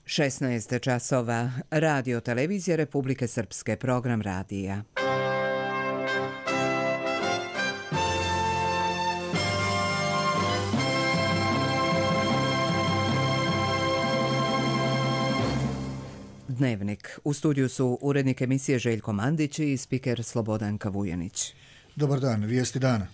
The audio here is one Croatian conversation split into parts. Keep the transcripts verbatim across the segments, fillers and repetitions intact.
šesnaest časova. Radio televizija Republike Srpske, program radija. Dnevnik. U studiju su urednik emisije Željko Mandić i spiker Slobodanka Vujanić. Dobar dan, vijesti dana.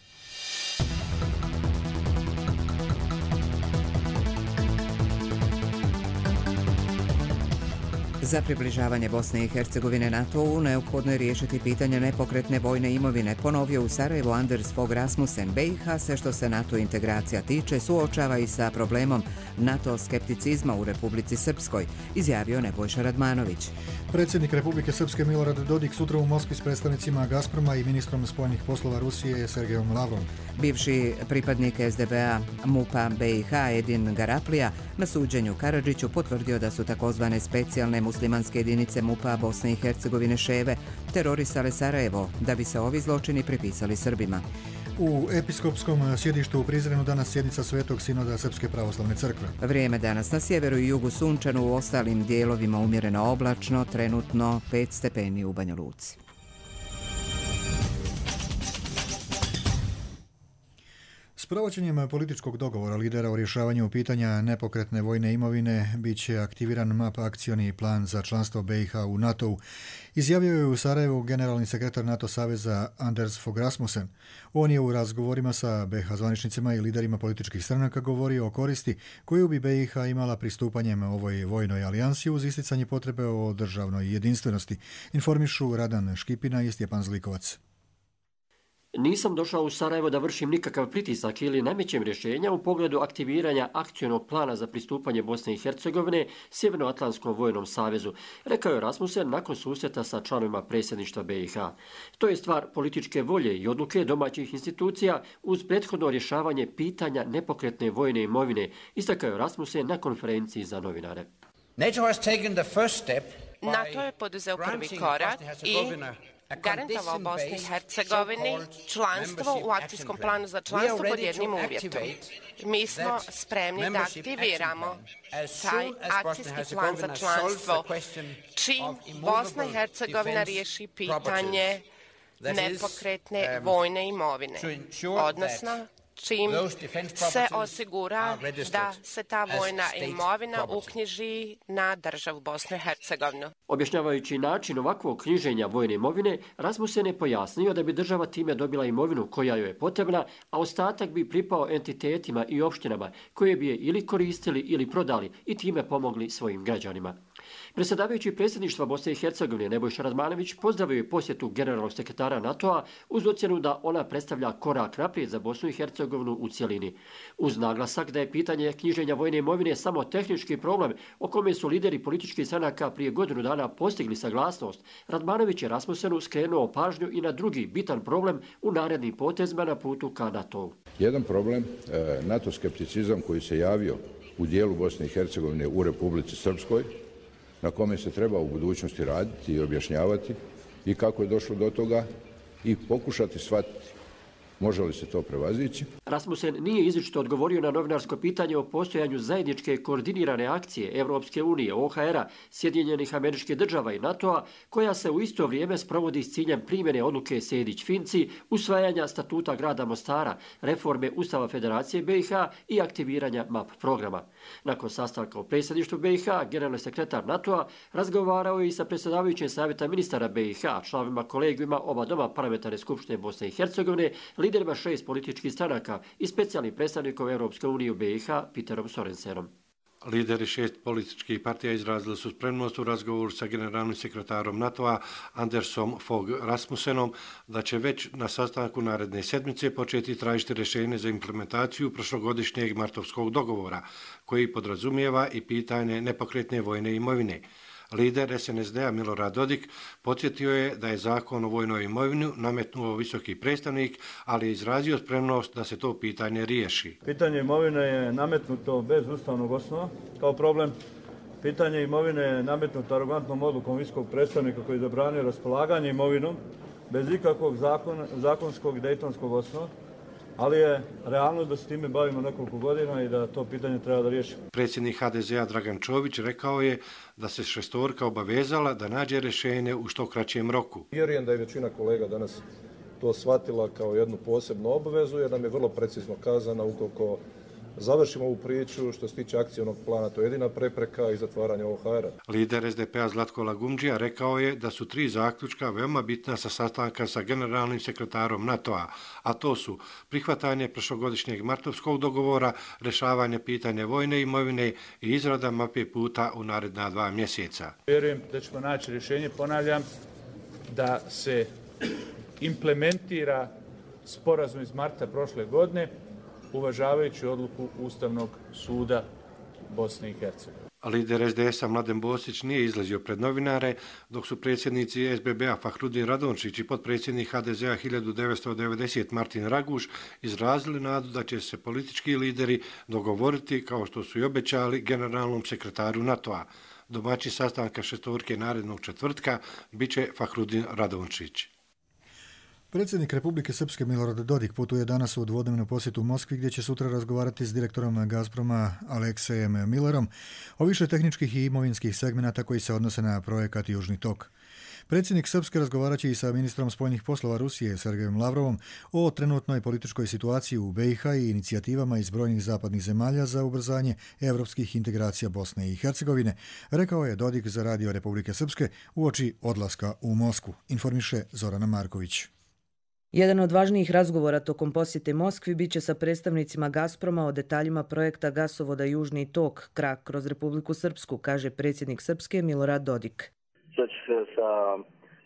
Za približavanje Bosne i Hercegovine NATO-u neophodno je riješiti pitanje nepokretne vojne imovine, ponovio u Sarajevu Anders Fogh Rasmussen. B i H se što se NATO integracija tiče suočava i sa problemom NATO skepticizma u Republici Srpskoj, izjavio Nebojša Radmanović. Predsjednik Republike Srpske Milorad Dodik sutra u Moskvi s predstavnicima Gazproma i ministrom spoljnih poslova Rusije Sergejom Lavrovom. Bivši pripadnik S D B-a MUP-a B i H Edin Garaplija na suđenju Karadžiću potvrdio da su takozvane specijalne muslimanske jedinice MUP-a Bosne i Hercegovine Ševe terorisale Sarajevo da bi se ovi zločini pripisali Srbima. U episkopskom sjedištu u Prizrenu danas sjednica Svetog sinoda Srpske pravoslavne crkve. Vrijeme danas na sjeveru i jugu sunčano, u ostalim dijelovima umjereno oblačno, trenutno pet stepeni u Banja Luci. S provođenjem političkog dogovora lidera o rješavanju pitanja nepokretne vojne imovine bit će aktiviran M A P akcioni plan za članstvo B i H u NATO-u, izjavio je u Sarajevu generalni sekretar NATO saveza Anders Fogh Rasmussen. On je u razgovorima sa B i H zvaničnicima i liderima političkih stranaka govorio o koristi koju bi B i H imala pristupanjem ovoj vojnoj alijansi uz isticanje potrebe o državnoj jedinstvenosti, informišu Radan Škipina i Stjepan Zlikovac. Nisam došao u Sarajevo da vršim nikakav pritisak ili namećem rješenja u pogledu aktiviranja akcionog plana za pristupanje Bosne i Hercegovine Sjevernoatlantskom vojnom savezu, rekao je Rasmussen nakon susreta sa članovima predsjedništva B i H. To je stvar političke volje i odluke domaćih institucija uz prethodno rješavanje pitanja nepokretne vojne imovine, istakao je Rasmussen na konferenciji za novinare. NATO je poduzeo prvi korak i garantovao Bosni i Hercegovini članstvo u akcijskom planu za članstvo pod jednim uvjetom. Mi smo spremni da aktiviramo taj akcijski plan za članstvo čim Bosna i Hercegovina riješi pitanje nepokretne vojne imovine, odnosno čim se osigura da se ta vojna imovina uknjiži na državu Bosnu i Hercegovinu. Objašnjavajući način ovakvog knjiženja vojne imovine, Rasmussen je pojasnio da bi država time dobila imovinu koja joj je potrebna, a ostatak bi pripao entitetima i opštinama koje bi je ili koristili ili prodali i time pomogli svojim građanima. Predsjedavajući predsjedništva Bosne i Hercegovine Nebojša Radmanović pozdravio je posjetu generalnog sekretara NATO-a uz ocjenu da ona predstavlja korak naprijed za Bosnu i Hercegovinu u cjelini. Uz naglasak da je pitanje knjiženja vojne imovine samo tehnički problem o kome su lideri političkih stranaka prije godinu dana postigli saglasnost, Radmanović je Rasmussenu skrenuo pažnju i na drugi bitan problem u narednim potezima na putu ka NATO-u. Jedan problem, NATO skepticizam koji se javio u dijelu Bosne i Hercegovine u Republici Srpskoj, na kome se treba u budućnosti raditi i objašnjavati i kako je došlo do toga i pokušati shvatiti može li se to prevazići. Rasmussen nije izričito odgovorio na novinarsko pitanje o postojanju zajedničke koordinirane akcije Evropske unije, O H R-a, Sjedinjenih Američkih Država i NATO-a, koja se u isto vrijeme sprovodi s ciljem primjene odluke Sejdić-Finci, usvajanja statuta grada Mostara, reforme Ustava Federacije B i H i aktiviranja M A P programa. Nakon sastanka u predsjedništvu B i H, generalni sekretar NATO-a razgovarao je i sa predsjedavajućim savjeta ministara B i H, članovima kolegijuma oba doma parlamentarne skupštine Bosne i Hercegovine, liderima šest političkih stranaka i specijalnim predstavnikom Europske unije u B i H Peterom Sorensenom. Lideri šest političkih partija izrazili su spremnost u razgovoru sa generalnim sekretarom NATO-a Andersom Fogh Rasmussenom da će već na sastanku naredne sedmice početi tražiti rješenje za implementaciju prošlogodišnjeg martovskog dogovora koji podrazumijeva i pitanje nepokretne vojne imovine. Lider S N S D-a Milorad Dodik podsjetio je da je zakon o vojnoj imovini nametnuo visoki predstavnik, ali je izrazio spremnost da se to pitanje riješi. Pitanje imovine je nametnuto bez ustavnog osnova kao problem. Pitanje imovine je nametnuto arogantnom odlukom visokog predstavnika koji je zabranio raspolaganje imovinom bez ikakvog zakon, zakonskog i dejtonskog osnova. ali je realno da se time bavimo nekoliko godina i da to pitanje treba da riješimo. Predsjednik ha de zea Dragan Čović rekao je da se šestorka obavezala da nađe rješenje u što kraćem roku. Vjerujem da je većina kolega danas to shvatila kao jednu posebnu obavezu, jer nam je vrlo precizno kazana ukoliko završimo ovu priču, što se tiče akcijnog plana, to je jedina prepreka i zatvaranja ovog ha era. Lider es de pe a Zlatko Lagumdžija rekao je da su tri zaključka veoma bitna sa sastanka sa generalnim sekretarom NATO-a, a to su prihvatanje prošlogodišnjeg martovskog dogovora, rješavanje pitanja vojne imovine i izrada mape puta u naredna dva mjeseca. Vjerujem da ćemo naći rješenje, ponavljam, da se implementira sporazum iz marta prošle godine, uvažavajući odluku Ustavnog suda Bosne i Hercegovine. Lider es de es a Mladen Bosić nije izlazio pred novinare, dok su predsjednici es be be a Fahrudin Radončić i potpredsjednik ha de zea hiljadu devetsto devedeset Martin Raguš izrazili nadu da će se politički lideri dogovoriti, kao što su i obećali, generalnom sekretaru NATO-a. Domaći sastanka šestorke narednog četvrtka bit će Fahrudin Radončić. Predsjednik Republike Srpske Milorad Dodik putuje danas u dvodnevnu posjetu u Moskvi, gdje će sutra razgovarati s direktorom Gazproma Aleksejem Millerom o više tehničkih i imovinskih segmenata koji se odnose na projekat Južni tok. Predsjednik Srpske razgovarat će i sa ministrom spoljnih poslova Rusije Sergejem Lavrovom o trenutnoj političkoj situaciji u be i ha i inicijativama iz brojnih zapadnih zemalja za ubrzanje evropskih integracija Bosne i Hercegovine, rekao je Dodik za Radio Republike Srpske uoči odlaska u Moskvu, informiše Zorana Marković. Jedan od važnijih razgovora tokom posjete Moskvi biće sa predstavnicima Gazproma o detaljima projekta gasovoda Južni tok, krak kroz Republiku Srpsku, kaže predsjednik Srpske Milorad Dodik. Sad će se sa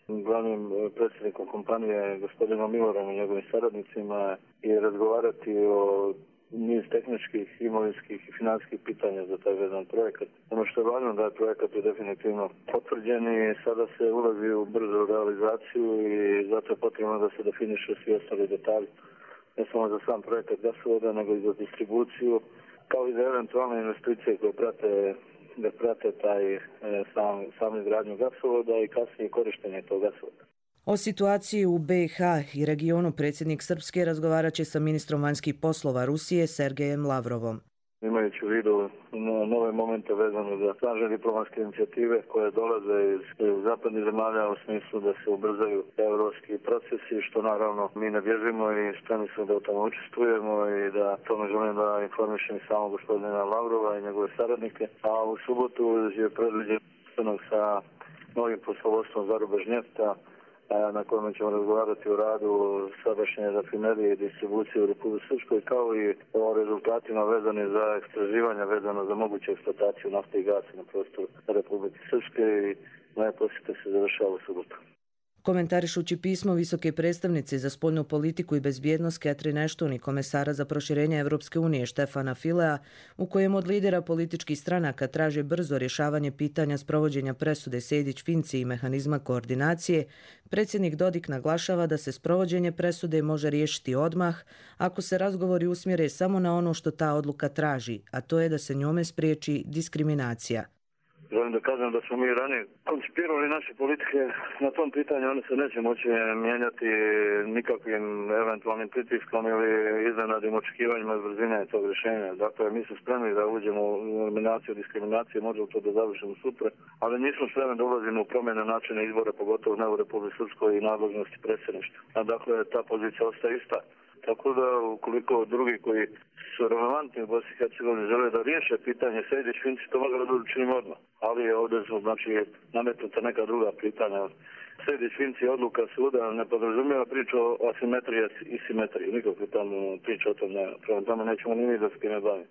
glavnim predsjednikom kompanije, gospodinom Milorom i njegovim saradnicima, i razgovarati o niz tehničkih, imovinskih i financijskih pitanja za taj vezan projekat. Ono što je važno da je projekat je definitivno potvrđen i sada se ulazi u brzu realizaciju i zato je potrebno da se definiše svi ostali detalji. Ne samo za sam projekat gasovoda, nego i za distribuciju, kao i za eventualne investicije koje prate, da prate taj sam, sam izgradnju gasovoda i kasnije korištenje tog gasovoda. O situaciji u be i ha i regionu predsjednik Srpske razgovarat će sa ministrom vanjskih poslova Rusije Sergejem Lavrovom. Imajući u vidu nove momente vezane za snažne diplomatske inicijative koje dolaze iz zapadnih zemalja u smislu da se ubrzaju evropski procesi, što naravno mi ne bježimo i spremni smo da u tome učestvujemo i da tome želim da informišem samo gospodina Lavrova i njegove saradnike. A u subotu je predviđen sastanak sa novim poslovodstvom Zarubežnjefta, na kojem ćemo razgovarati o radu sadašnje rafinerije i distribucije u Republike Srpskoj, kao i o rezultatima vezane za istraživanja vezano za moguću eksploataciju nafte i gasa na prostoru Republike Srpske i moja posjeta se završava u subotu. Komentarišući pismo visoke predstavnice za spoljnu politiku i bezbjednost Catherine Ashton i komesara za proširenje Evropske unije Štefana Filea, u kojem od lidera političkih stranaka traže brzo rješavanje pitanja sprovođenja presude Sejdić-Finci i mehanizma koordinacije, predsjednik Dodik naglašava da se sprovođenje presude može riješiti odmah ako se razgovori usmjere samo na ono što ta odluka traži, a to je da se njome spriječi diskriminacija. Želim da kažem da smo mi ranije koncipirali naše politike na tom pitanju, one se neće moći mijenjati nikakvim eventualnim pritiskom ili iznenadnim očekivanjima brzine tog rješenja. Dakle, mi smo spremni da uđemo u eliminaciju diskriminacije, možemo to da završimo sutra, ali nismo spremni da ulazimo u promjene načina izbora, pogotovo ne u Republike Srpskoj i nadležnosti predsjedništva. A dakle, ta pozicija ostaje ista. Tako da, ukoliko drugi koji su relevantni u Bosni i Hercegovini žele da riješe pitanje Sejdić-Finci, to mogu da učinimo odmah. Ali ovdje su, znači, nametnuta neka druga pitanja. Sejdić-Finci odluka suda ne podrazumijeva priču o asimetriji i simetriji. Nikakve tamo priča o tom ne. Prema tome nećemo ni mi da se time bavimo.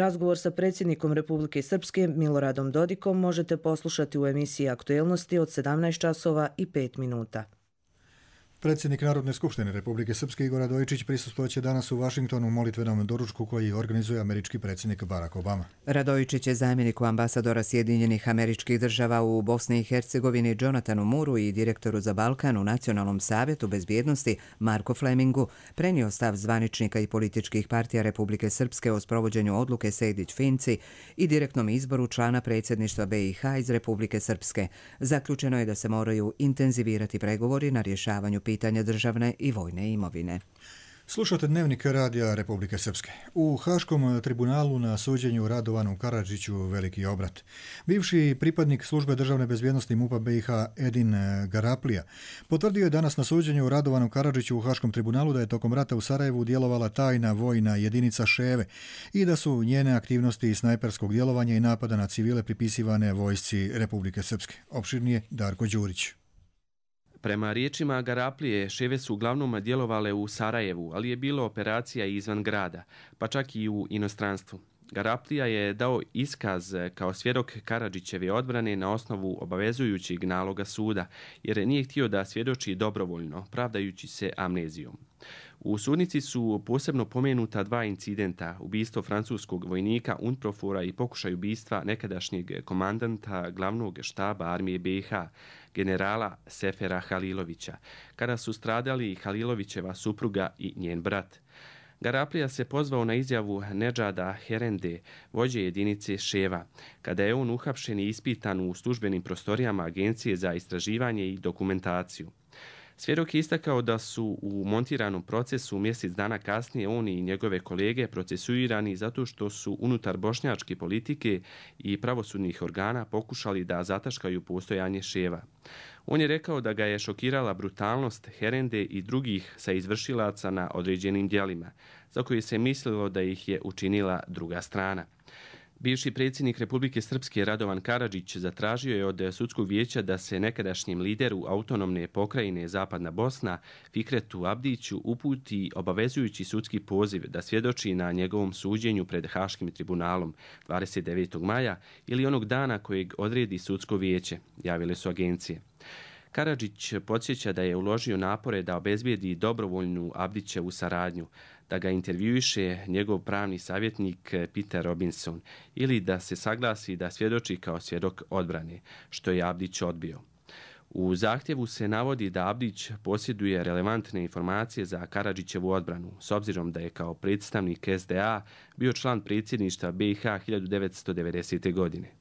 Razgovor sa predsjednikom Republike Srpske Miloradom Dodikom možete poslušati u emisiji Aktuelnosti od sedamnaest časova i pet minuta. Predsjednik Narodne skupštine Republike Srpske Igor Radojičić prisustvovat danas u Vašingtonu u molitvenom doručku koji organizuje američki predsjednik Barack Obama. Radojičić je zamjeniku ambasadora Sjedinjenih Američkih Država u Bosni i Hercegovini Jonathanu Muru i direktoru za Balkan u Nacionalnom savjetu bezbjednosti Marko Flemingu prenio stav zvaničnika i političkih partija Republike Srpske o sprovođenju odluke Sejdić-Finci i direktnom izboru člana predsjedništva be i ha iz Republike Srpske. Zaključeno je da se moraju intenzivirati pregovori na rješavanju pitanja državne i vojne imovine. Slušate Dnevnik radija Republike Srpske. U Haškom tribunalu na suđenju Radovanu Karadžiću veliki obrat. Bivši pripadnik službe državne bezbjednosti MUP-a B i H Edin Garaplija potvrdio je danas na suđenju Radovanu Karadžiću u Haškom tribunalu da je tokom rata u Sarajevu djelovala tajna vojna jedinica Ševe i da su njene aktivnosti snajperskog djelovanja i napada na civile pripisivane vojsci Republike Srpske. Opširnije Darko Đurić. Prema riječima Garaplije, Ševe su uglavnom djelovale u Sarajevu, ali je bilo operacija izvan grada, pa čak i u inostranstvu. Garaplija je dao iskaz kao svjedok Karadžićeve odbrane na osnovu obavezujućeg naloga suda, jer nije htio da svjedoči dobrovoljno, pravdajući se amnezijom. U sudnici su posebno pomenuta dva incidenta, ubistvo francuskog vojnika UNPROFOR-a i pokušaj ubistva nekadašnjeg komandanta glavnog štaba armije B i H, generala Sefera Halilovića, kada su stradali Halilovićeva supruga i njen brat. Garaplija se pozvao na izjavu Nedžada Herende, vođe jedinice Ševa, kada je on uhapšen i ispitan u službenim prostorijama Agencije za istraživanje i dokumentaciju. Svjedok je istakao da su u montiranom procesu mjesec dana kasnije on i njegove kolege procesuirani zato što su unutar bošnjačke politike i pravosudnih organa pokušali da zataškaju postojanje Ševa. On je rekao da ga je šokirala brutalnost Herende i drugih sa izvršilaca na određenim djelima, za koje se mislilo da ih je učinila druga strana. Bivši predsjednik Republike Srpske Radovan Karadžić zatražio je od sudskog vijeća da se nekadašnjem lideru autonomne pokrajine Zapadna Bosna Fikretu Abdiću uputi obavezujući sudski poziv da svjedoči na njegovom suđenju pred Haškim tribunalom dvadeset devetog maja ili onog dana kojeg odredi sudsko vijeće, javile su agencije. Karadžić podsjeća da je uložio napore da obezbijedi dobrovoljnu Abdićevu saradnju, da ga intervjuiše njegov pravni savjetnik Peter Robinson ili da se saglasi da svjedoči kao svjedok odbrane, što je Abdić odbio. U zahtjevu se navodi da Abdić posjeduje relevantne informacije za Karadžićevu odbranu, s obzirom da je kao predstavnik S D A bio član predsjedništva B i H hiljadu devetsto devedesete. godine.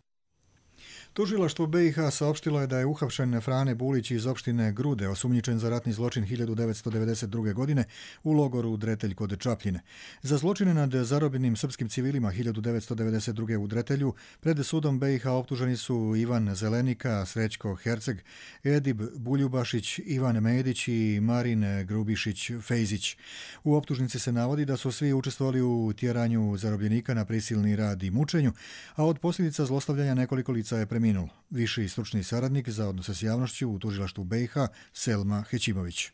Tužilaštvo B i H saopštilo je da je uhapšen Frane Bulić iz opštine Grude, osumnjičen za ratni zločin hiljadu devetsto devedeset druge. godine u logoru Dretelj kod Čapljine. Za zločine nad zarobljenim srpskim civilima hiljadu devetsto devedeset druge. u Dretelju pred sudom B i H optuženi su Ivan Zelenika, Srećko Herceg, Edib Buljubašić, Ivan Medić i Marin Grubišić-Fejzić. U optužnici se navodi da su svi učestvovali u tjeranju zarobljenika na prisilni rad i mučenju, a od posljedica zlostavljanja nekoliko lica je preminulo. Viši stručni saradnik za odnose s javnošću u tužilaštvu B i H Selma Hećimović.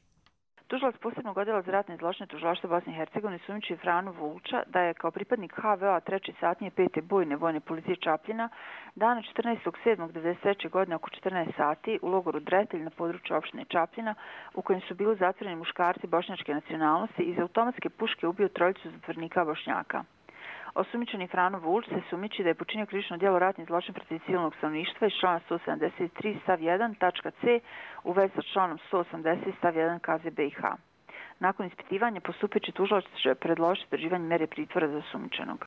Tužilac posebnog odjela za ratne zločine tužilaštva Bosne i Hercegovine sumnjiči Franu Vulča da je kao pripadnik H V O-a treće satnije pete bojne vojne policije Čapljina dana četrnaestog sedmog devedeset treće. godine oko četrnaest sati u logoru Dretelj na području opštine Čapljina, u kojem su bili zatvoreni muškarci bošnjačke nacionalnosti, iz automatske puške ubio trojicu zatvornika Bošnjaka. Osumnjičeni Frano Vulč se sumnjiči da je počinio krivično djelo ratni zločin protiv civilnog stanovništva iz člana sto sedamdeset tri stav jedan tačka c u vezi sa članom sto osamdeset stav jedan K Z B i H. Nakon ispitivanja postupajući tužilac će predložiti određivanje mere pritvora za osumnjičenog.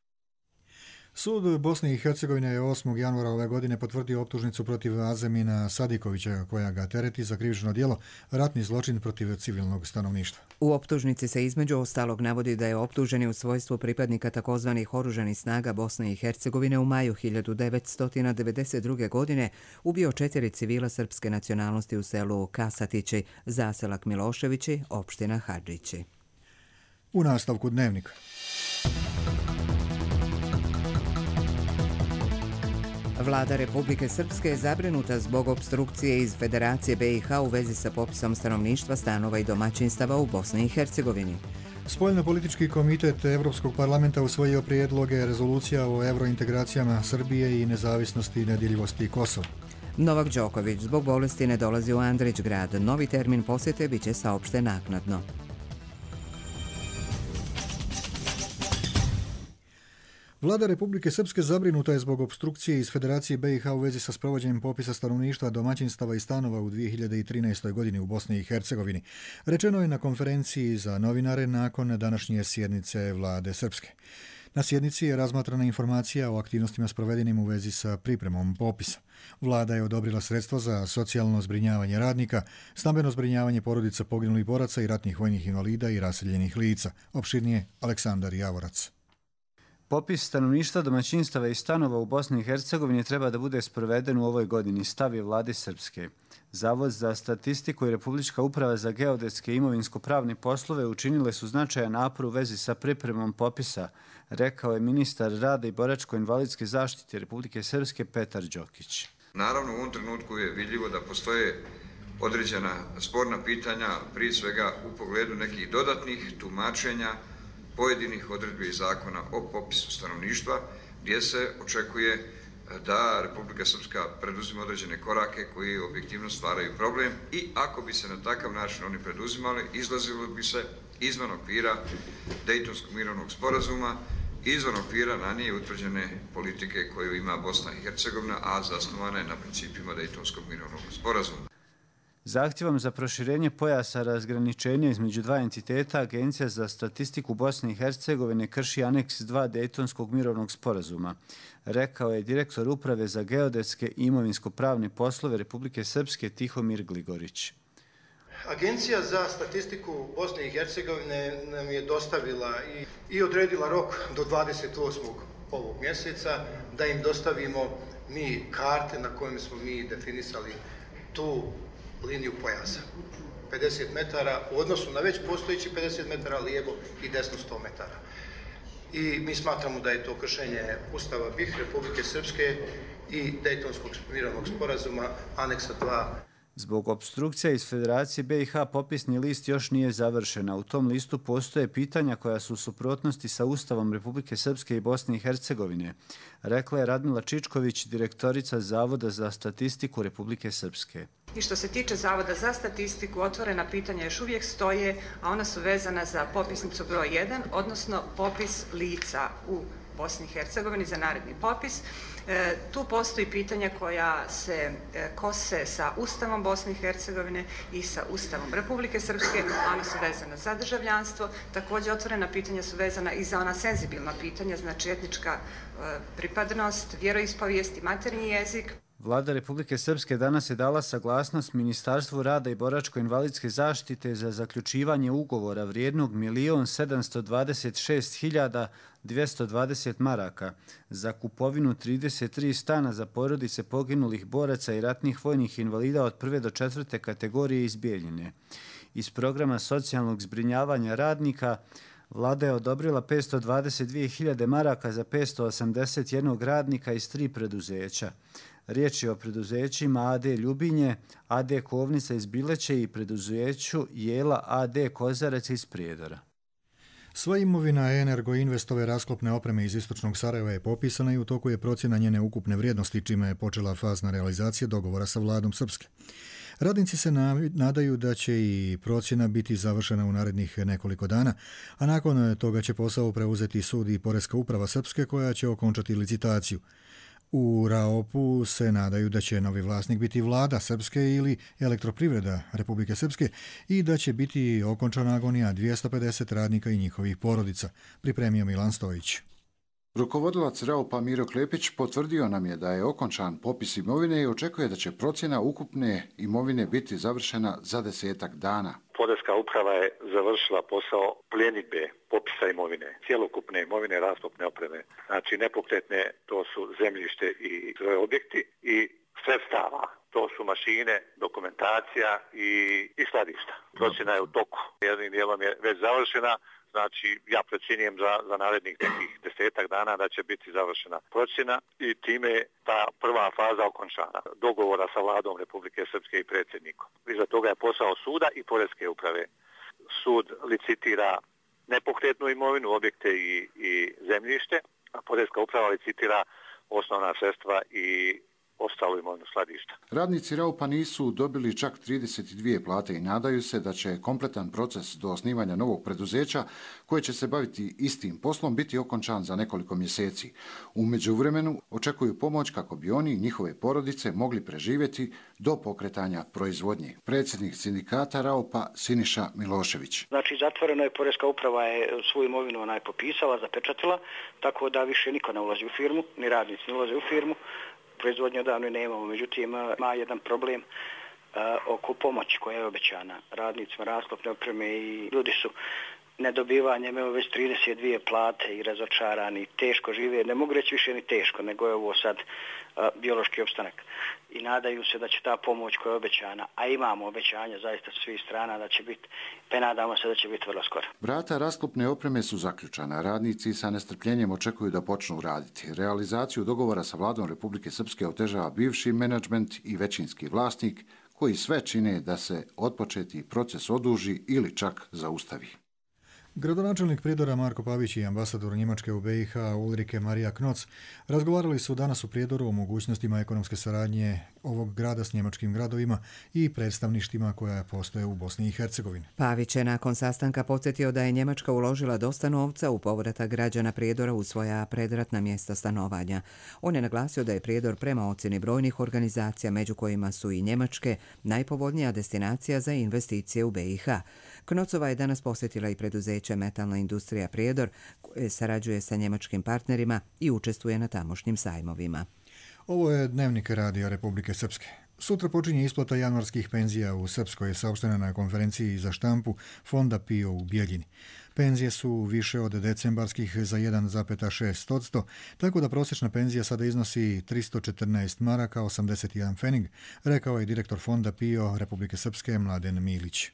Sud Bosne i Hercegovine je osmog januara ove godine potvrdio optužnicu protiv Azemina Sadikovića, koja ga tereti za krivično djelo ratni zločin protiv civilnog stanovništva. U optužnici se između ostalog navodi da je optuženi u svojstvu pripadnika takozvanih oružanih snaga Bosne i Hercegovine u maju hiljadu devetsto devedeset druge. godine ubio četiri civila srpske nacionalnosti u selu Kasatići, zaselak Miloševići, opština Hadžići. U nastavku Dnevnika. Vlada Republike Srpske je zabrinuta zbog opstrukcije iz Federacije B i H u vezi sa popisom stanovništva, stanova i domaćinstava u Bosni i Hercegovini. Spoljnopolitički komitet Evropskog parlamenta usvojio prijedloge rezolucija o evrointegracijama Srbije i nezavisnosti i nedjeljivosti Kosova. Novak Đoković zbog bolesti ne dolazi u Andrićgrad. Novi termin posjete biće saopšten naknadno. Vlada Republike Srpske zabrinuta je zbog opstrukcije iz Federacije B i H u vezi sa sprovođenjem popisa stanovništva, domaćinstava i stanova u dvije hiljade trinaestoj. godini u Bosni i Hercegovini. Rečeno je na konferenciji za novinare nakon današnje sjednice Vlade Srpske. Na sjednici je razmatrana informacija o aktivnostima sprovedenim u vezi sa pripremom popisa. Vlada je odobrila sredstva za socijalno zbrinjavanje radnika, stambeno zbrinjavanje porodica poginulih boraca i ratnih vojnih invalida i raseljenih lica. Opširnije Aleksandar Javorac. Popis stanovništva, domaćinstava i stanova u Bosni i Hercegovini treba da bude sproveden u ovoj godini, stav je vlade Srpske. Zavod za statistiku i Republička uprava za geodetske i imovinsko-pravne poslove učinile su značajan napor u vezi sa pripremom popisa, rekao je ministar rada i boračko-invalidske zaštite Republike Srpske Petar Đokić. Naravno, u ovom trenutku je vidljivo da postoje određena sporna pitanja, prije svega u pogledu nekih dodatnih tumačenja pojedinih odredbi zakona o popisu stanovništva, gdje se očekuje da Republika Srpska preduzima određene korake koji objektivno stvaraju problem i ako bi se na takav način oni preduzimali, izlazilo bi se izvan okvira Dejtonskog mirovnog sporazuma, izvan okvira ranije utvrđene politike koju ima Bosna i Hercegovina, a zasnovana je na principima Dejtonskog mirovnog sporazuma. Zahtjevom za proširenje pojasa razgraničenja između dva entiteta, Agencija za statistiku Bosne i Hercegovine krši aneks dva Dejtonskog mirovnog sporazuma, rekao je direktor Uprave za geodetske i imovinsko-pravne poslove Republike Srpske Tihomir Gligorić. Agencija za statistiku Bosne i Hercegovine nam je dostavila i, i odredila rok do dvadeset osmog ovog mjeseca da im dostavimo mi karte na kojima smo mi definisali tu liniju pojasa. pedeset metara u odnosu na već postojići pedeset metara lijevo i desno sto metara. I mi smatramo da je to kršenje Ustava B i H Republike Srpske i Dejtonskog mirovnog sporazuma aneksa dva. Zbog opstrukcija iz Federacije B i H popisni list još nije završen, a u tom listu postoje pitanja koja su u suprotnosti sa Ustavom Republike Srpske i Bosne i Hercegovine, rekla je Radmila Čičković, direktorica Zavoda za statistiku Republike Srpske. I što se tiče Zavoda za statistiku, otvorena pitanja još uvijek stoje, a ona su vezana za popisnicu broj jedan, odnosno popis lica u Bosni i Hercegovini za naredni popis. E, tu postoji pitanja koja se e, kose sa Ustavom Bosne i Hercegovine i sa Ustavom Republike Srpske, ona su vezana za državljanstvo. Također otvorena pitanja su vezana i za ona senzibilna pitanja, znači etnička e, pripadnost, vjeroispovijest i maternji jezik. Vlada Republike Srpske danas je dala saglasnost Ministarstvu rada i boračko-invalidske zaštite za zaključivanje ugovora vrijednog milion sedamsto dvadeset šest hiljada dvjesto dvadeset maraka za kupovinu trideset tri stana za porodice poginulih boraca i ratnih vojnih invalida od prve do četvrte kategorije iz Bijeljine. Iz programa socijalnog zbrinjavanja radnika Vlada je odobrila petsto dvadeset dvije hiljade maraka za petsto osamdeset jedan radnika iz tri preduzeća. Riječ je o preduzećima A D Ljubinje, A D Kovnica iz Bileće i preduzeću Jela A D Kozarac iz Prijedora. Sva imovina Energoinvestove rasklopne opreme iz istočnog Sarajeva je popisana i u toku je procjena njene ukupne vrijednosti, čime je počela fazna realizacija dogovora sa vladom Srpske. Radnici se nadaju da će i procjena biti završena u narednih nekoliko dana, a nakon toga će posao preuzeti sud i Poreska uprava Srpske koja će okončati licitaciju. U Raopu se nadaju da će novi vlasnik biti vlada Srpske ili elektroprivreda Republike Srpske i da će biti okončana agonija dvjesto pedeset radnika i njihovih porodica, pripremio Milan Stojić. Rukovodilac Raopa Miro Klepić potvrdio nam je da je okončan popis imovine i očekuje da će procjena ukupne imovine biti završena za desetak dana. Poreska uprava je završila posao pljenidbe popisa imovine, cjelokupne imovine rasklopne opreme. Znači nepokretne, to su zemljište i svoje objekti i sredstava. To su mašine, dokumentacija i, i skladišta. Procjena je u toku. Jednim dijelom je već završena. Znači, ja procjenjujem za, za narednih nekih desetak dana da će biti završena procjena i time je ta prva faza okončana. Dogovora sa vladom Republike Srpske i predsjednikom. Iza toga je posao suda i Poreske uprave. Sud licitira nepokretnu imovinu, objekte i, i zemljište, a Poreska uprava licitira osnovna sredstva i ostalu imovinu skladišta. Radnici Raupa nisu dobili čak trideset dvije plate i nadaju se da će kompletan proces do osnivanja novog preduzeća koje će se baviti istim poslom biti okončan za nekoliko mjeseci. U međuvremenu očekuju pomoć kako bi oni i njihove porodice mogli preživjeti do pokretanja proizvodnje. Predsjednik sindikata Raupa Siniša Milošević. Znači zatvoreno je, Poreska uprava je svoju imovinu onaj popisala, zapečatila, tako da više niko ne ulazi u firmu, ni radnici ne ulaze u firmu. Proizvodnje odavno nemamo, međutim ima jedan problem uh, oko pomoći koja je obećana radnicima rasklopne opreme i ljudi su nedobivanjem evo već trideset dvije plate i razočarani, teško žive, ne mogu reći više ni teško, nego je ovo sad uh, biološki opstanak. I nadaju se da će ta pomoć koja je obećana, a imamo obećanja zaista svih strana da će biti, pa nadamo se da će biti vrlo skoro. Vrata rasklopne opreme su zaključana. Radnici sa nestrpljenjem očekuju da počnu raditi. Realizaciju dogovora sa vladom Republike Srpske otežava bivši menadžment i većinski vlasnik, koji sve čine da se otpočeti proces oduži ili čak zaustavi. Gradonačelnik Prijedora Marko Pavić i ambasador Njemačke u B i H Ulrike Marija Knoc razgovarali su danas u Prijedoru o mogućnostima ekonomske saradnje ovog grada s njemačkim gradovima i predstavništima koja postoje u Bosni i Hercegovini. Pavić je nakon sastanka podsjetio da je Njemačka uložila dosta novca u povratak građana Prijedora u svoja predratna mjesta stanovanja. On je naglasio da je Prijedor prema ocjeni brojnih organizacija, među kojima su i njemačke, najpovoljnija destinacija za investicije u B i H. Knocova je danas posjetila i preduzeće Metalna industrija Prijedor, koje sarađuje sa njemačkim partnerima i učestvuje na tamošnjim sajmovima. Ovo je Dnevnik radija Republike Srpske. Sutra počinje isplata januarskih penzija u Srpskoj, je saopštena na konferenciji za štampu Fonda P I O u Bijeljini. Penzije su više od decembarskih za jedan zarez šest posto, tako da prosječna penzija sada iznosi tristo četrnaest maraka osamdeset jedan fening, rekao je direktor Fonda P I O Republike Srpske Mladen Milić.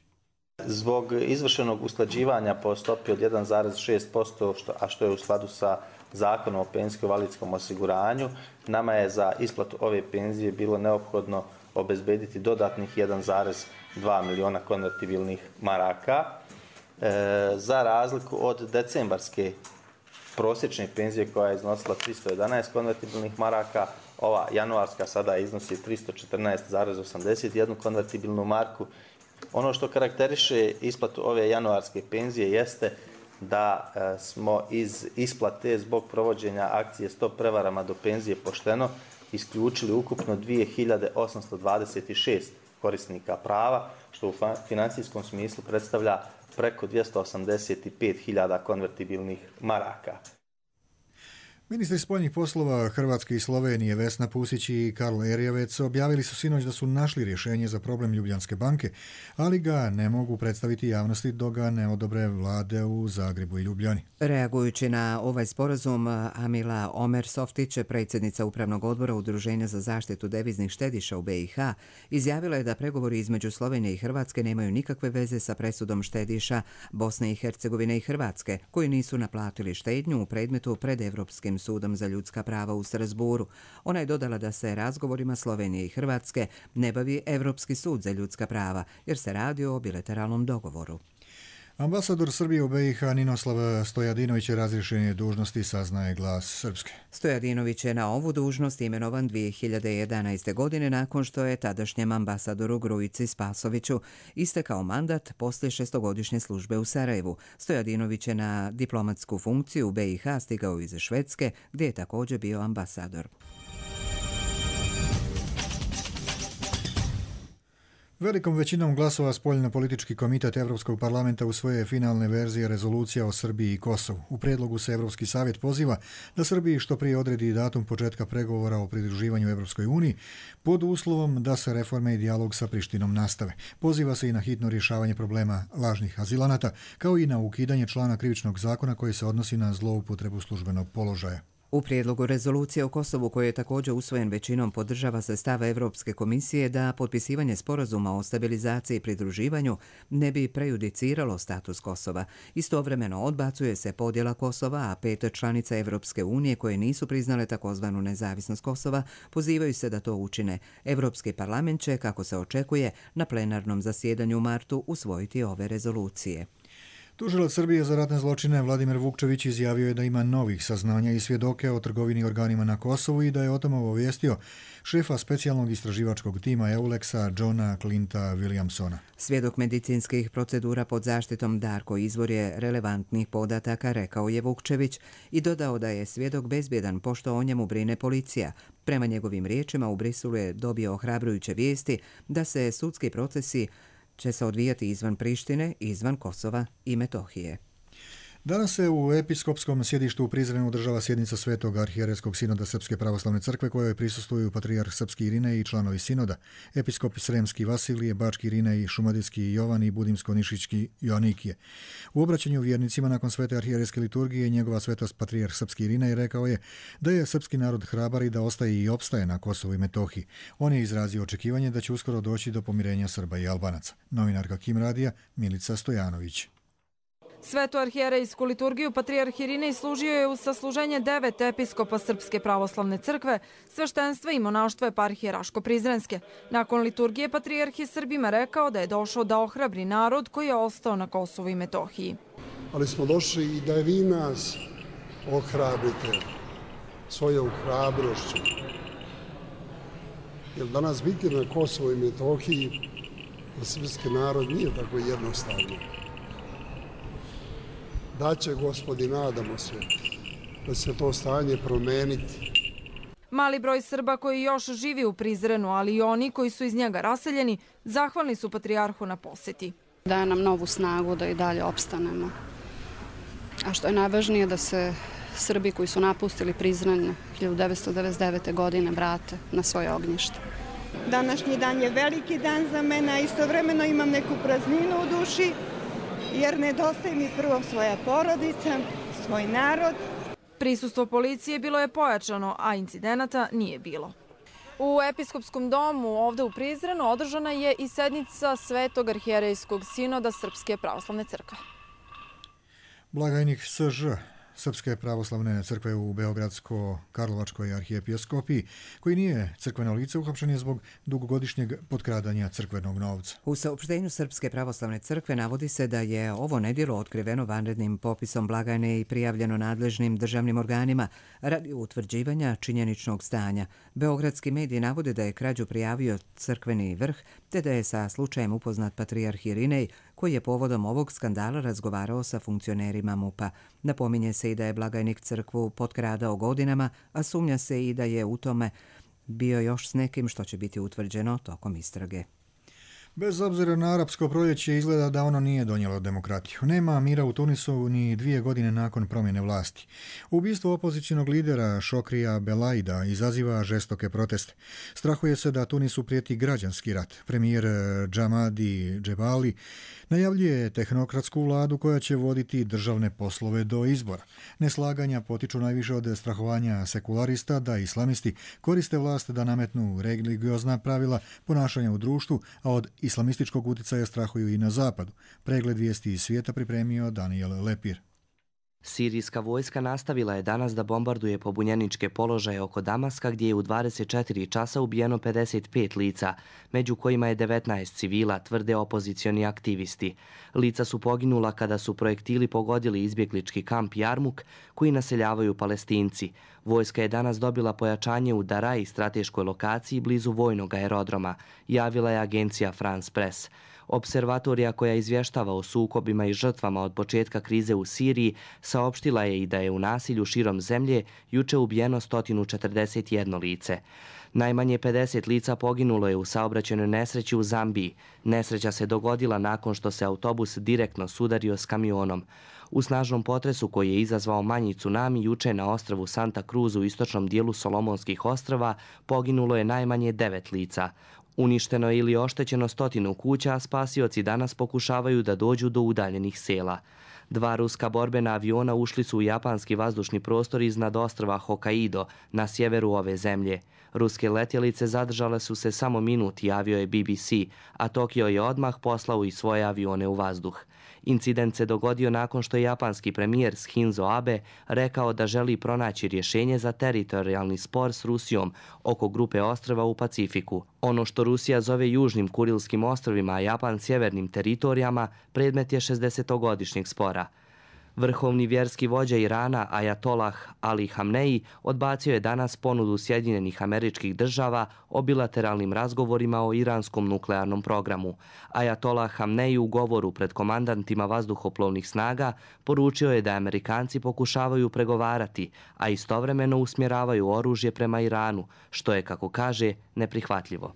Zbog izvršenog usklađivanja po stopi od jedan zarez šest posto, a što je u skladu sa Zakonom o penzijsko-invalidskom osiguranju, nama je za isplatu ove penzije bilo neophodno obezbediti dodatnih jedan zarez dva miliona konvertibilnih maraka. E, za razliku od decembarske prosječne penzije koja je iznosila tristo jedanaest konvertibilnih maraka, ova januarska sada iznosi tristo četrnaest zarez osamdeset jedan konvertibilnu marku. Ono što karakteriše isplatu ove januarske penzije jeste da e, smo iz isplate zbog provođenja akcije Stop prevarama do penzije pošteno isključili ukupno dvije hiljade osamsto dvadeset šest korisnika prava, što u financijskom smislu predstavlja preko dvjesto osamdeset pet hiljada konvertibilnih maraka. Ministri spoljnih poslova Hrvatske i Slovenije Vesna Pusić i Karl Erjavec objavili su sinoć da su našli rješenje za problem Ljubljanske banke, ali ga ne mogu predstaviti javnosti dok ga ne odobre vlade u Zagrebu i Ljubljani. Reagujući na ovaj sporazum, Amila Omersoftić, predsjednica Upravnog odbora Udruženja za zaštitu deviznih štediša u B i H, izjavila je da pregovori između Slovenije i Hrvatske nemaju nikakve veze sa presudom štediša Bosne i Hercegovine i Hrvatske, koji nisu naplatili štednju u predmetu pred Evropskim sudom za ljudska prava u Strasburu. Ona je dodala da se razgovorima Slovenije i Hrvatske ne bavi Evropski sud za ljudska prava, jer se radi o bilateralnom dogovoru. Ambasador Srbije u B i H Ninoslav Stojadinović je razrješen je dužnosti, saznaje Glas Srpske. Stojadinović je na ovu dužnost imenovan dvije hiljade jedanaeste. godine nakon što je tadašnjem ambasadoru Grujici Spasoviću istekao mandat poslije šestogodišnje službe u Sarajevu. Stojadinović je na diplomatsku funkciju u B i H stigao iz Švedske, gdje je također bio ambasador. Velikom većinom glasova Spoljno-politički komitet Evropskog parlamenta usvoje finalne verzije rezolucija o Srbiji i Kosovu. U prijedlogu se Evropski savjet poziva da Srbiji što prije odredi datum početka pregovora o pridruživanju Evropskoj uniji pod uslovom da se reforme i dijalog sa Prištinom nastave. Poziva se i na hitno rješavanje problema lažnih azilanata, kao i na ukidanje člana krivičnog zakona koji se odnosi na zloupotrebu službenog položaja. U prijedlogu rezolucije o Kosovu, koji je također usvojen većinom, podržava se stav Evropske komisije da potpisivanje sporazuma o stabilizaciji i pridruživanju ne bi prejudiciralo status Kosova. Istovremeno odbacuje se podjela Kosova, a pet članica Evropske unije koje nisu priznale takozvanu nezavisnost Kosova pozivaju se da to učine. Evropski parlament će, kako se očekuje, na plenarnom zasjedanju u martu usvojiti ove rezolucije. Tužilac Srbije za ratne zločine Vladimir Vukčević izjavio je da ima novih saznanja i svjedoke o trgovini organima na Kosovu i da je o tome obavijestio šefa specijalnog istraživačkog tima Euleksa Johna Clinta Williamsona. Svjedok medicinskih procedura pod zaštitom Darko izvor je relevantnih podataka, rekao je Vukčević i dodao da je svjedok bezbjedan pošto o njemu brine policija. Prema njegovim riječima u Briselu je dobio ohrabrujuće vijesti da se sudski procesi će se odvijati izvan Prištine, izvan Kosova i Metohije. Danas se u episkopskom sjedištu u Prizrenu održava sjednica Svetog arhijerejskog sinoda Srpske pravoslavne crkve kojoj prisustvuju patrijarh Srpski Irinej i članovi sinoda, episkop Sremski Vasilije, Bački Irinej, Šumadijski Jovan i Budimsko-Nišićki Joanikije. U obraćanju vjernicima nakon svete arhijerejske liturgije njegova svetost patrijarh Srpski Irinej rekao je da je srpski narod hrabar i da ostaje i opstaje na Kosovu i Metohiji. On je izrazio očekivanje da će uskoro doći do pomirenja Srba i Albanaca. Novinarka Kim Radija Milica Stojanović. Svetu arhijerejsku liturgiju patrijarh Irinej služio je u sasluženje devet episkopa Srpske pravoslavne crkve, sveštenstva i monaštva eparhije Raško-Prizrenske. Nakon liturgije patrijarh je Srbima rekao da je došao da ohrabri narod koji je ostao na Kosovu i Metohiji. Ali smo došli i da vi nas ohrabrite svojom hrabrošću. Jer danas biti na Kosovu i Metohiji za srpski narod nije tako jednostavno. Da će, Gospodi, nadamo se da se to stanje promeniti. Mali broj Srba koji još živi u Prizrenu, ali i oni koji su iz njega raseljeni, zahvalni su patrijarhu na posjeti. Daje nam novu snagu da i dalje opstanemo. A što je najvažnije da se Srbi koji su napustili Prizren hiljadu devetsto devedeset devete. godine vrate na svoje ognjište. Današnji dan je veliki dan za mene, a istovremeno imam neku prazninu u duši, jer nedostaje mi prvo svoja porodica, svoj narod. Prisustvo policije bilo je pojačano, a incidenata nije bilo. U episkopskom domu ovde u Prizrenu održana je i sednica Svetog arhijerejskog sinoda Srpske pravoslavne crkve. Blagajnik S Ž Srpske pravoslavne crkve u Beogradsko-Karlovačkoj arhijepiskopiji, koji nije crkveno lice, uhapšen je zbog dugogodišnjeg potkradanja crkvenog novca. U saopštenju Srpske pravoslavne crkve navodi se da je ovo nedjelo otkriveno vanrednim popisom blagajne i prijavljeno nadležnim državnim organima radi utvrđivanja činjeničnog stanja. Beogradski mediji navode da je krađu prijavio crkveni vrh, te da je sa slučajem upoznat patrijarh Irinej, koji je povodom ovog skandala razgovarao sa funkcionerima MUP-a. Napominje se i da je blagajnik crkvu potkradao godinama, a sumnja se i da je u tome bio još s nekim što će biti utvrđeno tokom istrage. Bez obzira na arapsko proljeće izgleda da ono nije donijelo demokratiju. Nema mira u Tunisu ni dvije godine nakon promjene vlasti. Ubistvo opozicionog lidera Šokrija Belaida izaziva žestoke proteste. Strahuje se da Tunisu prijeti građanski rat. Premijer Džamadi Džebali najavljuje tehnokratsku vladu koja će voditi državne poslove do izbora. Neslaganja potiču najviše od strahovanja sekularista da islamisti koriste vlast da nametnu religiozna pravila ponašanja u društvu, a od islamističkog utjecaja strahuju i na zapadu. Pregled vijesti iz svijeta pripremio Daniel Lepir. Sirijska vojska nastavila je danas da bombarduje pobunjeničke položaje oko Damaska, gdje je u dvadeset četiri časa ubijeno pedeset pet lica, među kojima je devetnaest civila, tvrde opozicioni aktivisti. Lica su poginula kada su projektili pogodili izbjeglički kamp Jarmuk, koji naseljavaju Palestinci. Vojska je danas dobila pojačanje u Daraji, strateškoj lokaciji blizu vojnog aerodroma, javila je agencija France Press. Observatorija koja izvještava o sukobima i žrtvama od početka krize u Siriji saopštila je i da je u nasilju širom zemlje juče ubijeno sto četrdeset jedno lice. Najmanje pedeset lica poginulo je u saobraćajnoj nesreći u Zambiji. Nesreća se dogodila nakon što se autobus direktno sudario s kamionom. U snažnom potresu koji je izazvao manji tsunami juče na ostrvu Santa Cruz u istočnom dijelu Solomonskih ostrava poginulo je najmanje devet lica. Uništeno je ili oštećeno stotinu kuća, a spasioci danas pokušavaju da dođu do udaljenih sela. Dva ruska borbena aviona ušli su u japanski vazdušni prostor iznad ostrva Hokkaido na sjeveru ove zemlje. Ruske letjelice zadržale su se samo minut, javio je B B C, a Tokio je odmah poslao i svoje avione u vazduh. Incident se dogodio nakon što je japanski premijer Shinzo Abe rekao da želi pronaći rješenje za teritorijalni spor s Rusijom oko grupe ostrva u Pacifiku. Ono što Rusija zove Južnim Kurilskim ostrvima, a Japan sjevernim teritorijama, predmet je šezdesetogodišnjeg spora. Vrhovni vjerski vođa Irana Ajatolah Ali Hamneji odbacio je danas ponudu Sjedinjenih Američkih Država o bilateralnim razgovorima o iranskom nuklearnom programu. Ajatolah Hamneji u govoru pred komandantima vazduhoplovnih snaga poručio je da Amerikanci pokušavaju pregovarati, a istovremeno usmjeravaju oružje prema Iranu, što je, kako kaže, neprihvatljivo.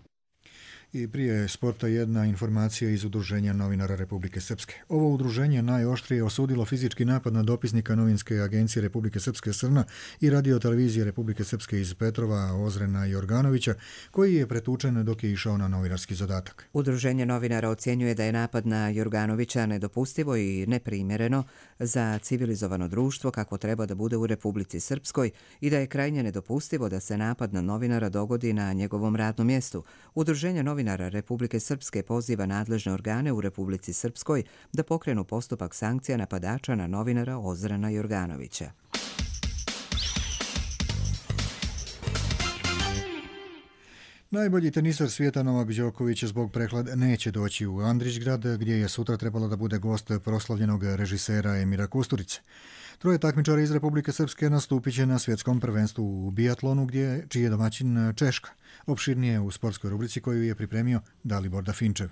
I prije sporta jedna informacija iz Udruženja novinara Republike Srpske. Ovo udruženje najoštrije osudilo fizički napad na dopisnika novinske agencije Republike Srpske Srna i radiotelevizije Republike Srpske iz Petrova Ozrena Jorganovića, koji je pretučen dok je išao na novinarski zadatak. Udruženje novinara ocjenjuje da je napad na Jorganovića nedopustivo i neprimjereno za civilizovano društvo kako treba da bude u Republici Srpskoj i da je krajnje nedopustivo da se napad na novinara dogodi na njegovom radnom mjestu. Udruženje novinara Republike Srpske poziva nadležne organe u Republici Srpskoj da pokrenu postupak sankcija napadača na novinara Ozrena Jorganovića. Najbolji tenisar svijeta Novak Đoković zbog prehlade neće doći u Andrićgrad, gdje je sutra trebalo da bude gost proslavljenog režisera Emira Kusturice. Troje takmičara iz Republike Srpske nastupit će na svjetskom prvenstvu u biatlonu, gdje čiji je domaćin Češka. Opširnije u sportskoj rubrici koju je pripremio Dalibor Dafinčev.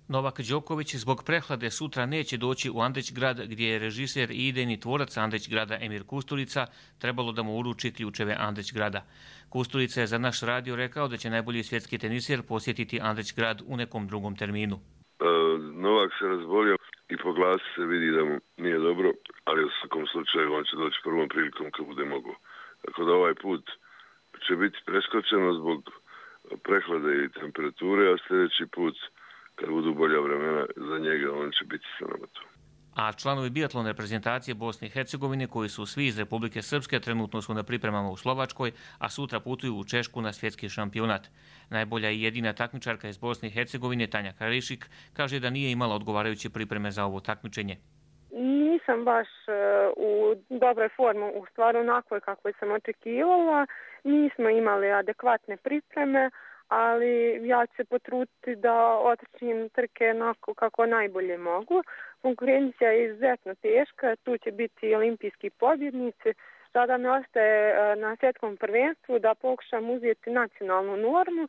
Novak Đoković zbog prehlade sutra neće doći u Andrićgrad, gdje je režiser i idejni tvorac Andrićgrada Emir Kusturica trebalo da mu uruči ključeve Andrićgrada. Kusturica je za naš radio rekao da će najbolji svjetski teniser posjetiti Andrićgrad u nekom drugom terminu. Uh, Novak se razbolio i po glasu se vidi da mu nije dobro, ali u svakom slučaju on će doći prvom prilikom kad bude mogao. Tako da ovaj put će biti preskočeno zbog prehlade i temperature, a sljedeći put kad budu bolja vremena za njega, on će biti sa nama tu. A članovi biatlon reprezentacije Bosne i Hercegovine, koji su svi iz Republike Srpske, trenutno su na pripremama u Slovačkoj, a sutra putuju u Češku na svjetski šampionat. Najbolja i jedina takmičarka iz Bosne i Hercegovine, Tanja Karišik, kaže da nije imala odgovarajuće pripreme za ovo takmičenje. Nisam baš u dobroj formi, u stvari onakvoj kakvoj sam očekivala. Nismo imali adekvatne pripreme, ali ja ću se potruditi da otrčim trke onako kako najbolje mogu. Konkurencija je izuzetno teška, tu će biti olimpijski pobjednici. Sada mi ostaje na svjetskom prvenstvu da pokušam uzeti nacionalnu normu.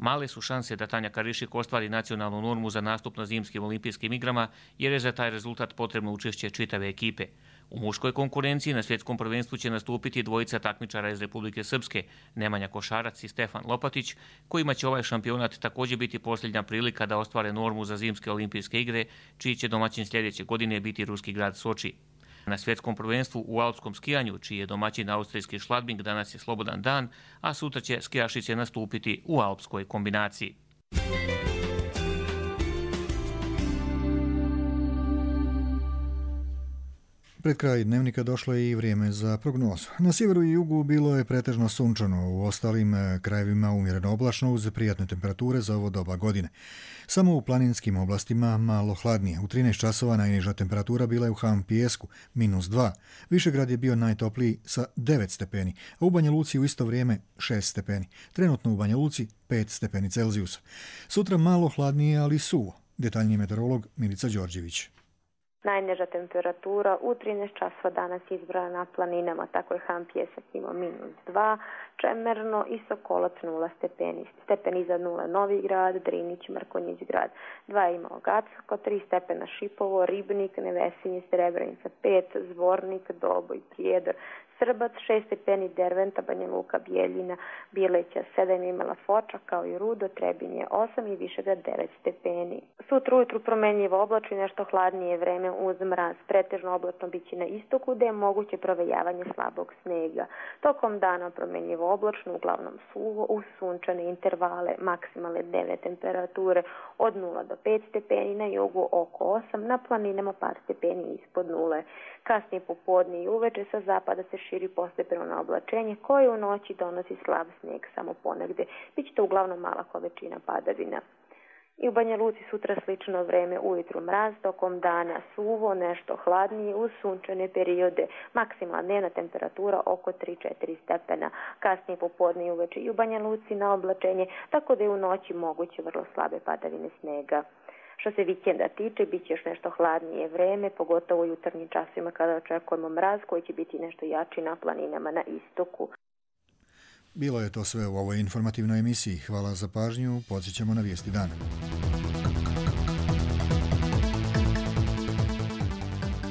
Male su šanse da Tanja Karišik ostvari nacionalnu normu za nastup na zimskim olimpijskim igrama, jer je za taj rezultat potrebno učešće čitave ekipe. U muškoj konkurenciji na svjetskom prvenstvu će nastupiti dvojica takmičara iz Republike Srpske, Nemanja Košarac i Stefan Lopatić, kojima će ovaj šampionat također biti posljednja prilika da ostvare normu za zimske olimpijske igre, čiji će domaćin sljedeće godine biti ruski grad Soči. Na svjetskom prvenstvu u alpskom skijanju, čiji je domaćin austrijski Schladming, danas je slobodan dan, a sutra će skijašice nastupiti u alpskoj kombinaciji. Pred kraj dnevnika došlo je i vrijeme za prognozu. Na sjeveru i jugu bilo je pretežno sunčano, u ostalim krajevima umjereno oblačno uz prijatne temperature za ovo doba godine. Samo u planinskim oblastima malo hladnije. U trinaest časova najniža temperatura bila je u Ham Pijesku, minus dva. Višegrad je bio najtopliji sa devet stepeni, a u Banja Luci u isto vrijeme šest stepeni. Trenutno u Banja Luci pet stepeni Celzijusa. Sutra malo hladnije, ali suvo. Detaljniji meteorolog Milica Đorđević. Najniža temperatura u trinaest časova danas izbrana na planinama, tako je Ham Pijesak imao minus dva, Čemerno i Sokolac nula stepeni. Stepen iznad nule Novi Grad, Drinić, Mrkonjić grad. dva je imao Gacko, tri stepena Šipovo, Ribnik, Nevesinje, Srebrenica pet, Zvornik, Doboj, Prijedor, Srbac, šest stepeni Derventa, Banja Luka, Bijeljina, Bileća, sedam je imala Foča, kao i Rudo, Trebinje osam i Višegrad devet stepeni. Sutra ujutru promenljivo oblačno i nešto hladnije vreme uz mraz. Pretežno oblačno biće na istoku, gde je moguće provejavanje slabog snega. Tokom dana promenljivo oblačno, uglavnom suvo, uz sunčane intervale, maksimalne dnevne temperature od nula do pet stepeni, na jugu oko osam, na planinama par stepeni ispod nule. Kasnije popodne i uveče sa zapada se širi postepeno oblačenje koje u noći donosi slab sneg samo ponegde. Biće to uglavnom mala količina padavina. I u Banja Luci sutra slično vreme, ujutru mraz, tokom dana suvo, nešto hladnije uz sunčane periode. Maksimalna dnevna temperatura oko tri do četiri stepena. Kasnije popodne i uveče i u Banja Luci na oblačenje, tako da je u noći moguće vrlo slabe padavine snega. Što se vikenda tiče, bit će još nešto hladnije vreme, pogotovo u jutarnjim časima kada očekujemo mraz koji će biti nešto jači na planinama na istoku. Bilo je to sve u ovoj informativnoj emisiji. Hvala za pažnju. Podsjećamo na vijesti dana.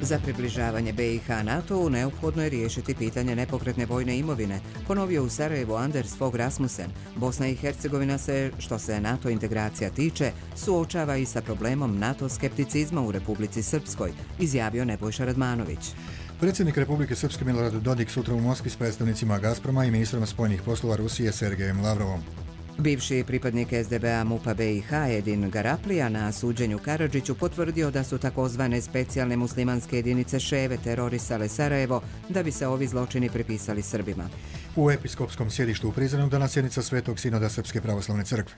Za približavanje B i H NATO-u neophodno je riješiti pitanje nepokretne vojne imovine, ponovio u Sarajevu Anders Fogh Rasmussen. Bosna i Hercegovina se, što se NATO integracija tiče, suočava i sa problemom NATO skepticizma u Republici Srpskoj, izjavio Nebojša Radmanović. Predsjednik Republike Srpske Milorad Dodik sutra u Moskvi s predstavnicima Gazproma i ministrom spoljnih poslova Rusije Sergejem Lavrovom. Bivši pripadnik es de be a MUP-a B i H Edin Garaplija na suđenju Karadžiću potvrdio da su takozvane specijalne muslimanske jedinice Ševe terorisale Sarajevo da bi se ovi zločini pripisali Srbima. U episkopskom sjedištu u Prizrenu danas sjednica Svetog sinoda Srpske pravoslavne crkve.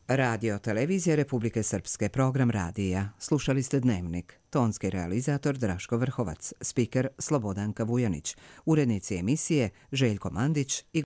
Radio televizija Republike Srpske, program radija. Slušali ste Dnevnik. Tonski realizator Draško Vrhovac, spiker Slobodanka Vujanić, urednici emisije Željko Mandić i